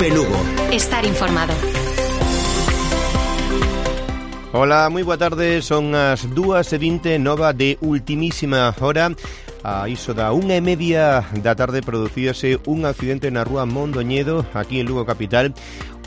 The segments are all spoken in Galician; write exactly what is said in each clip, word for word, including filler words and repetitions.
Telefe Lugo. Estar informado. Hola, moi boa tarde, son as dúas e vinte, nova de ultimísima hora. A iso da unha e media da tarde producíase un accidente na rúa Mondoñedo, aquí en Lugo capital.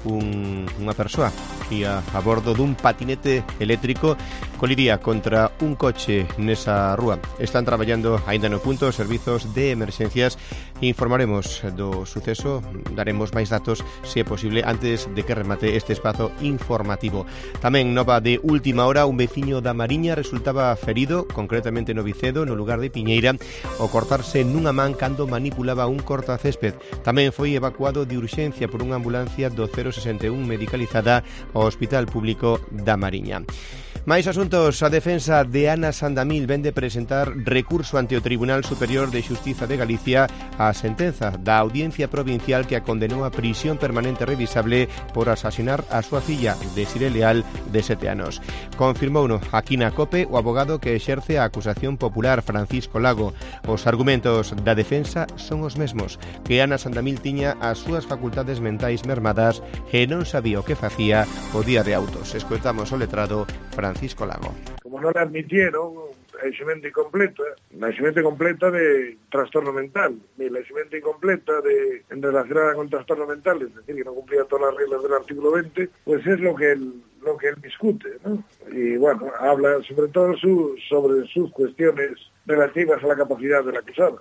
Un, unha persoa ia a bordo dun patinete eléctrico, coliría contra un coche nesa rúa. Están traballando aínda no punto os servizos de emerxencias. Informaremos do suceso, daremos máis datos, se é posible, antes de que remate este espazo informativo. Tamén nova de última hora, un veciño da Mariña resultaba ferido, concretamente no Vicedo, no lugar de Piñeira, ao cortarse nunha man cando manipulaba un cortacésped. Tamén foi evacuado de urxencia por unha ambulancia do cero sesenta e un medicalizada ao Hospital Público da Mariña. Máis asuntos. A defensa de Ana Sandamil vende presentar recurso ante o Tribunal Superior de Xustiza de Galicia a sentenza da Audiencia Provincial que a condenou a prisión permanente revisable por asasinar a súa filla, Desiré Leal, de sete anos. Confirmouno aquí na COPE o abogado que exerce a acusación popular, Francisco Lago. Os argumentos da defensa son os mesmos, que Ana Sandamil tiña as súas facultades mentais mermadas e non sabía o que facía o día de autos. Escoitamos o letrado Francisco Lago. Como non admitieron a eximente incompleta, a eximente completa de trastorno mental, ni la eximente incompleta de en relacionada con trastorno mental, es decir, que no cumplía todas las reglas del artículo veinte, pues es lo que él, lo que él discute, ¿no? Y bueno, habla sobre todo su, sobre sus cuestiones relativas a la capacidad del acusado.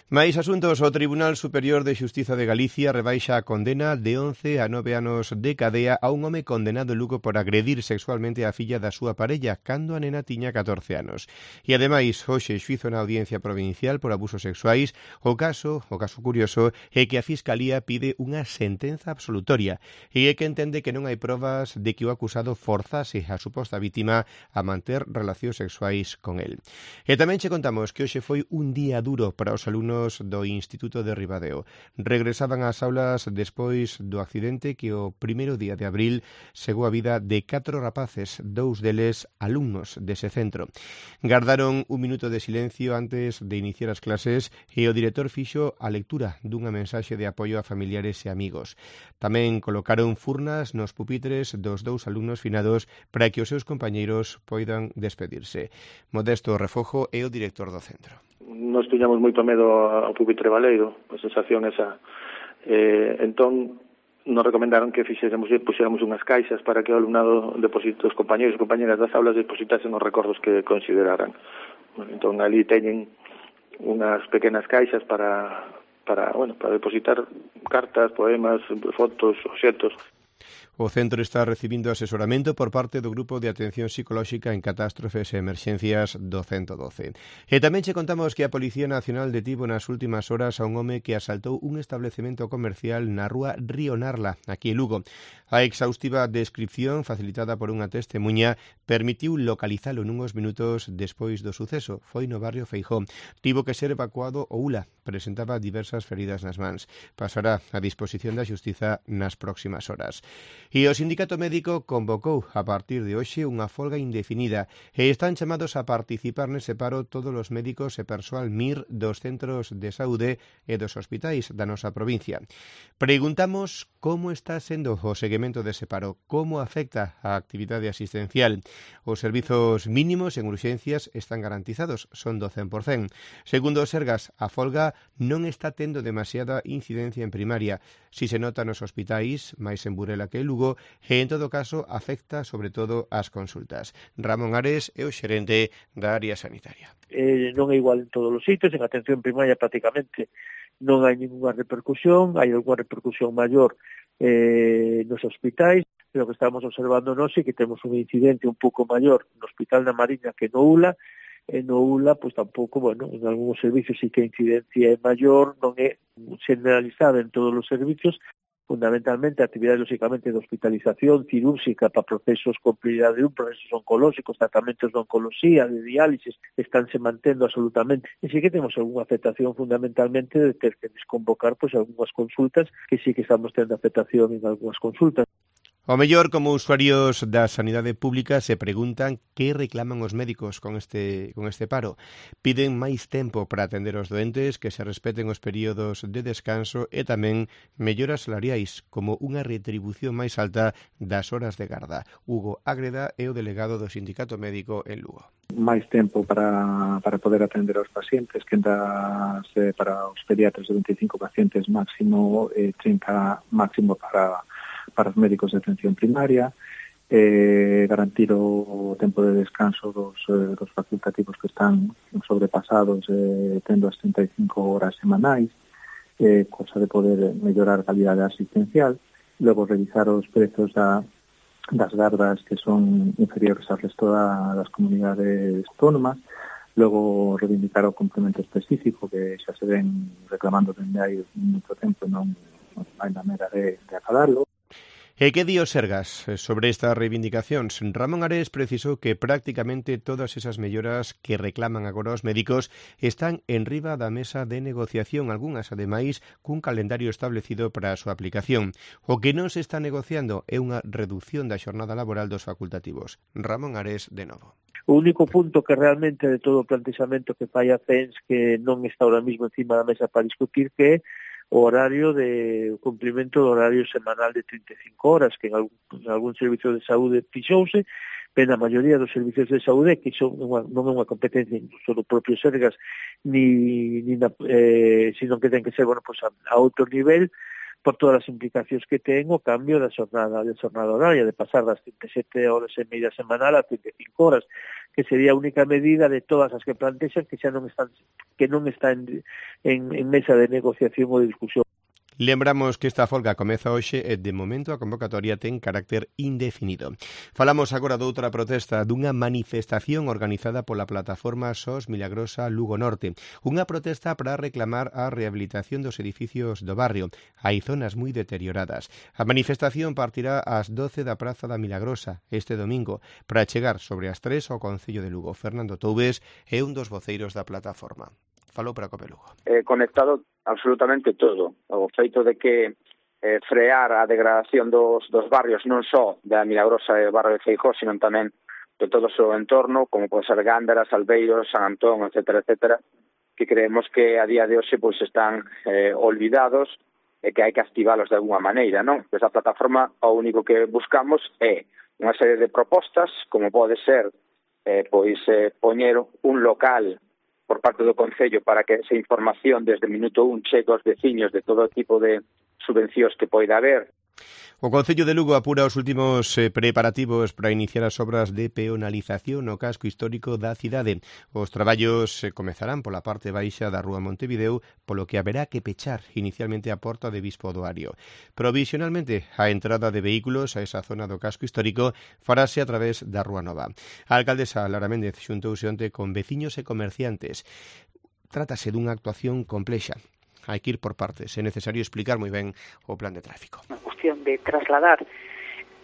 Máis asuntos. O Tribunal Superior de Xustiza de Galicia rebaixa a condena de once a nove anos de cadea a un home condenado en Lugo por agredir sexualmente a filla da súa parella cando a nena tiña catorce anos. E ademais, hoxe xuízo na Audiencia Provincial por abusos sexuais. O caso, o caso curioso, é que a Fiscalía pide unha sentenza absolutoria e é que entende que non hai probas de que o acusado forzase a suposta vítima a manter relacións sexuais con el. E tamén che contamos que hoxe foi un día duro para os alumnos do Instituto de Ribadeo. Regresaban ás aulas despois do accidente que o primeiro día de abril segou a vida de catro rapaces, dous deles alumnos dese centro. Gardaron un minuto de silencio antes de iniciar as clases e o director fixo a lectura dunha mensaxe de apoio a familiares e amigos. Tamén colocaron furnas nos pupitres dos dous alumnos finados para que os seus compañeiros poidan despedirse. Modesto Refojo é o director do centro. Nos tiñamos moito medo ao pupitre baleiro, a sensación esa. Eh, entón, nos recomendaron que fixéramos, puxéramos unhas caixas para que o alumnado deposite, os compañeros e compañeras das aulas depositasen os recordos que consideraran. Entón, ali teñen unhas pequenas caixas para, para, bueno, para depositar cartas, poemas, fotos, obxetos. O centro está recibindo asesoramento por parte do Grupo de Atención Psicolóxica en Catástrofes e Emerxencias do ciento doce. E tamén che contamos que a Policía Nacional detivo nas últimas horas a un home que asaltou un establecemento comercial na rúa Río Narla, aquí en Lugo. A exhaustiva descripción facilitada por unha testemuña permitiu localizalo nunhos minutos despois do suceso. Foi no barrio Feijó. Tivo que ser evacuado o U L A. Presentaba diversas feridas nas mans. Pasará a disposición da Xustiza nas próximas horas. E o Sindicato Médico convocou a partir de hoxe unha folga indefinida e están chamados a participar nese paro todos os médicos e persoal M I R dos centros de saúde e dos hospitais da nosa provincia. Preguntamos como está sendo o seguimento dese paro, como afecta a actividade asistencial. Os servizos mínimos en urxencias están garantizados, son do cen por cento. Segundo o Sergas, a folga non está tendo demasiada incidencia en primaria. Si se nota nos hospitais, máis en Burela que en Lugo, e en todo caso afecta sobre todo as consultas. Ramón Ares é o xerente da área sanitaria. Eh, non é igual en todos os sitios, en atención primaria prácticamente non hai ninguna repercusión, hai alguna repercusión maior eh, nos hospitais, pero que estamos observando nós é que temos un incidente un pouco maior no Hospital da Mariña que no U L A, e no U L A, pois tampouco, bueno, en algúns servicios sí que a incidencia é maior, non é generalizada en todos os servicios, fundamentalmente a actividade, lógicamente, de hospitalización cirúrxica para procesos con prioridade un, procesos oncolóxicos, tratamentos de oncología, de diálisis, estánse mantendo absolutamente. E sí que temos algunha afectación fundamentalmente de ter que desconvocar pois, algunhas consultas, que sí que estamos tendo afectación en algunhas consultas. O mellor, como usuarios da sanidade pública se preguntan que reclaman os médicos con este con este paro. Piden máis tempo para atender os doentes, que se respeten os períodos de descanso e tamén melloras salariais, como unha retribución máis alta das horas de garda. Hugo Ágreda é o delegado do Sindicato Médico en Lugo. Máis tempo para, para poder atender aos pacientes, que das, eh, para os pediatras de veinticinco pacientes máximo, eh, trinta máximo para para os médicos de atención primaria, eh, garantir o tempo de descanso dos, eh, dos facultativos que están sobrepasados, eh, tendo as trinta e cinco horas semanais, eh, cosa de poder mellorar a calidade asistencial, logo revisar os prezos da, das gardas que son inferiores ao resto da, das comunidades autónomas, logo reivindicar o complemento específico que xa se ven reclamando dende hai moito tempo e non hai maneira de, de acabarlo. E que di o Sergas sobre estas reivindicacións? Ramón Ares precisou que prácticamente todas esas melloras que reclaman agora os médicos están en riba da mesa de negociación, algunhas, ademais, cun calendario establecido para a súa aplicación. O que non se está negociando é unha reducción da xornada laboral dos facultativos. Ramón Ares, de novo. O único punto que realmente de todo o plantexamento que fai a C E N S que non está ahora mismo encima da mesa para discutir que é o horario de o cumprimento do horario semanal de trinta e cinco horas, que en algún, en algún servicio de saúde fixouse, pero na maioría dos servicios de saúde, que son unha, non é unha competencia incluso do propio Sergas, ni, ni na, eh, sino que ten que ser, bueno, pues a, a outro nivel, por todas as implicacións que ten o cambio da xornada, da xornada horaria, de pasar das trinta e sete horas e media semanal a trinta e cinco horas, que sería a única medida de todas as que plantexan que xa non están que non está en, en, en mesa de negociación ou de discusión. Lembramos que esta folga comeza hoxe e, de momento, a convocatoria ten carácter indefinido. Falamos agora doutra protesta, dunha manifestación organizada pola plataforma S O S Milagrosa Lugo Norte. Unha protesta para reclamar a rehabilitación dos edificios do barrio. Hai zonas moi deterioradas. A manifestación partirá ás doce da Praza da Milagrosa este domingo para chegar sobre as tres ao Concello de Lugo. Fernando Toubes é un dos voceiros da plataforma. Falou para Cope Lugo. Eh, conectado absolutamente todo. O feito de que eh, frear a degradación dos, dos barrios non só da Milagrosa e do barrio de Feijóo, sino tamén de todo o seu entorno, como pode ser Gándara, Salveiros, San Antón, etcétera, etcétera, que creemos que a día de hoxe pois están eh, olvidados e que hai que activalos de alguna maneira, non? Desde a plataforma o único que buscamos é unha serie de propostas, como pode ser eh, pois eh, poñer un local por parte do Concello para que esa información desde o minuto un chegue aos veciños de todo tipo de subvencións que poida haber. O Concello de Lugo apura os últimos eh, preparativos para iniciar as obras de peonalización no casco histórico da cidade. Os traballos eh, comezarán pola parte baixa da Rúa Montevideo, polo que haberá que pechar inicialmente a porta de Bispo do Ario. Provisionalmente, a entrada de vehículos a esa zona do casco histórico farase a través da Rúa Nova. A alcaldesa Lara Méndez xuntouse onte con veciños e comerciantes. Trátase dunha actuación complexa. Hai que ir por partes, é necesario explicar moi ben o plan de tráfico. Unha cuestión de trasladar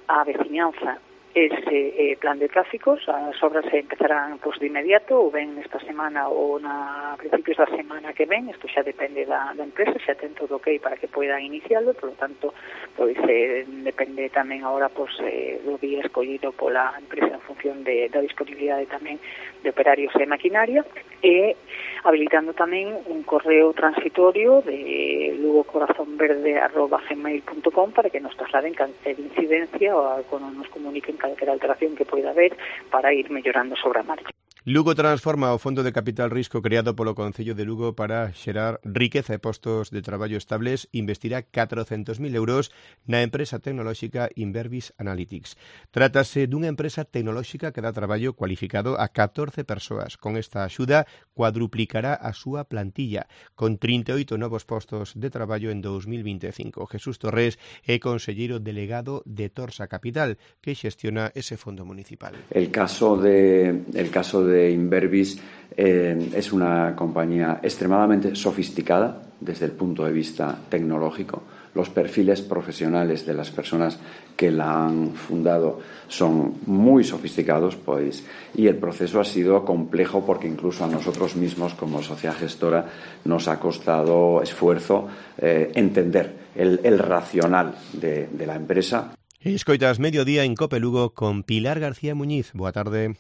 a veciñanza ese eh, plan de tráficos, as obras se empezarán pues, de inmediato, ou ben esta semana ou na a principios da semana que ven, isto xa depende da, da empresa, xa ten todo ok para que poidan iniciarlo, por lo tanto, pois, eh, depende tamén agora pues, eh, do día escollido pola empresa en función de, da disponibilidade tamén de operarios e maquinaria, e habilitando tamén un correo transitorio de lugocorazonverde arroba gmail punto com para que nos trasladen calquer incidencia ou cuando nos comuniquen calquer alteración que poida haber para ir mellorando sobre a marcha. Lugo transforma o Fondo de Capital Risco creado polo Concello de Lugo para xerar riqueza e postos de traballo estables, investirá catrocentos mil euros na empresa tecnolóxica Inverbis Analytics. Trátase dunha empresa tecnolóxica que dá traballo cualificado a catorce persoas. Con esta axuda cuadruplicará a súa plantilla, con trinta e oito novos postos de traballo en dous mil vinte e cinco. Jesús Torres é conselleiro delegado de Torsa Capital, que xestiona ese fondo municipal. El caso de, el caso de de Inverbis eh, es una compañía extremadamente sofisticada desde el punto de vista tecnológico. Los perfiles profesionales de las personas que la han fundado son muy sofisticados, pues, y el proceso ha sido complejo porque incluso a nosotros mismos como sociedad gestora nos ha costado esfuerzo eh, entender el, el racional de, de la empresa. Escoitas Mediodía en Cope Lugo con Pilar García Muñiz. Boa tarde.